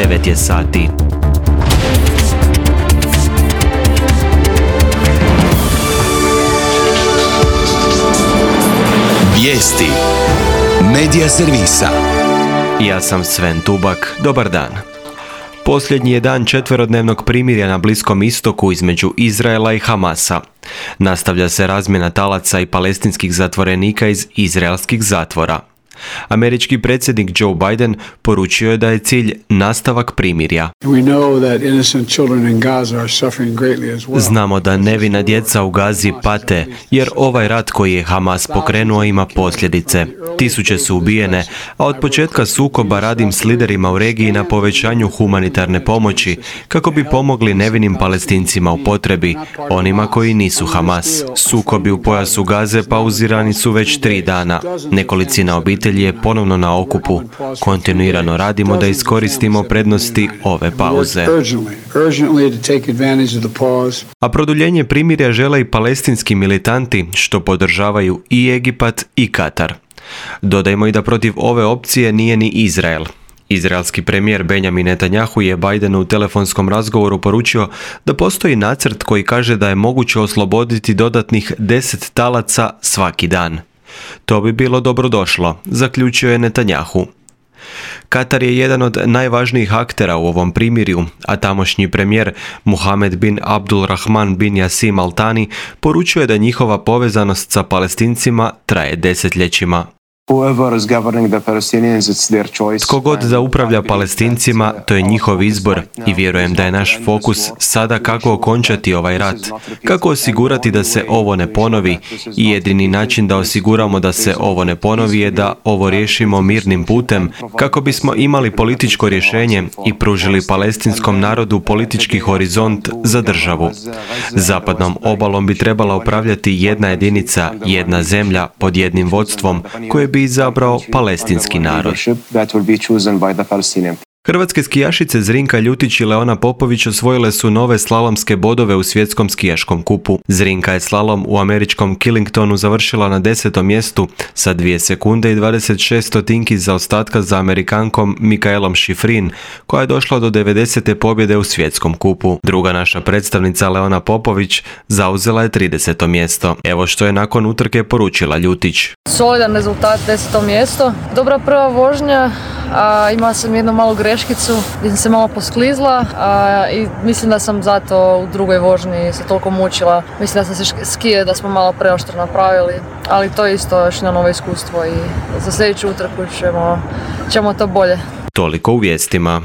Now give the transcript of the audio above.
9 je sati. Vijesti Medija servisa. Ja sam Sven Tubak, dobar dan. Posljednji je dan četverodnevnog primirja na Bliskom istoku između Izraela i Hamasa. Nastavlja se razmjena talaca i palestinskih zatvorenika iz izraelskih zatvora. Američki predsjednik Joe Biden poručio je da je cilj nastavak primirja. Znamo da nevina djeca u Gazi pate, jer ovaj rat koji je Hamas pokrenuo ima posljedice. Tisuće su ubijene, a od početka sukoba radim s liderima u regiji na povećanju humanitarne pomoći, kako bi pomogli nevinim Palestincima u potrebi, onima koji nisu Hamas. Sukobi u pojasu Gaze pauzirani su već 3 dana. Nekolicina obitelji je ponovno na okupu. Kontinuirano radimo da iskoristimo prednosti ove pauze. A produljenje primirja žele i palestinski militanti, što podržavaju i Egipat i Katar. Dodajmo i da protiv ove opcije nije ni Izrael. Izraelski premijer Benjamin Netanjahu je Bidenu u telefonskom razgovoru poručio da postoji nacrt koji kaže da je moguće osloboditi dodatnih 10 talaca svaki dan. To bi bilo dobrodošlo, zaključio je Netanjahu. Katar je jedan od najvažnijih aktera u ovom primirju, a tamošnji premijer Mohammed bin Abdul Rahman bin Jassim Al Thani poručuje da njihova povezanost sa Palestincima traje desetljećima. Tko god da upravlja Palestincima, to je njihov izbor i vjerujem da je naš fokus sada kako okončati ovaj rat, kako osigurati da se ovo ne ponovi i jedini način da osiguramo da se ovo ne ponovi je da ovo riješimo mirnim putem, kako bismo imali političko rješenje i pružili palestinskom narodu politički horizont za državu. Zapadnom obalom bi trebala upravljati jedna jedinica, jedna zemlja pod jednim vodstvom koje bi izabrao palestinski narod. Hrvatske skijašice Zrinka Ljutić i Leona Popović osvojile su nove slalomske bodove u svjetskom skijaškom kupu. Zrinka je slalom u američkom Killingtonu završila na 10. mjestu sa 2 sekunde i 26 stotinki zaostatka za Amerikankom Mikaelom Schifrin, koja je došla do 90. pobjede u svjetskom kupu. Druga naša predstavnica Leona Popović zauzela je 30. mjesto. Evo što je nakon utrke poručila Ljutić. Solidan rezultat, 10. mjesto. Dobra prva vožnja, imala sam jednu malu greškicu gdje sam se malo posklizla i mislim da sam zato u drugoj vožnji se toliko mučila. Mislim da sam se skije da smo malo preoštro napravili, ali to je isto još jedno novo iskustvo i za sljedeću utrku ćemo to bolje. Toliko u vijestima.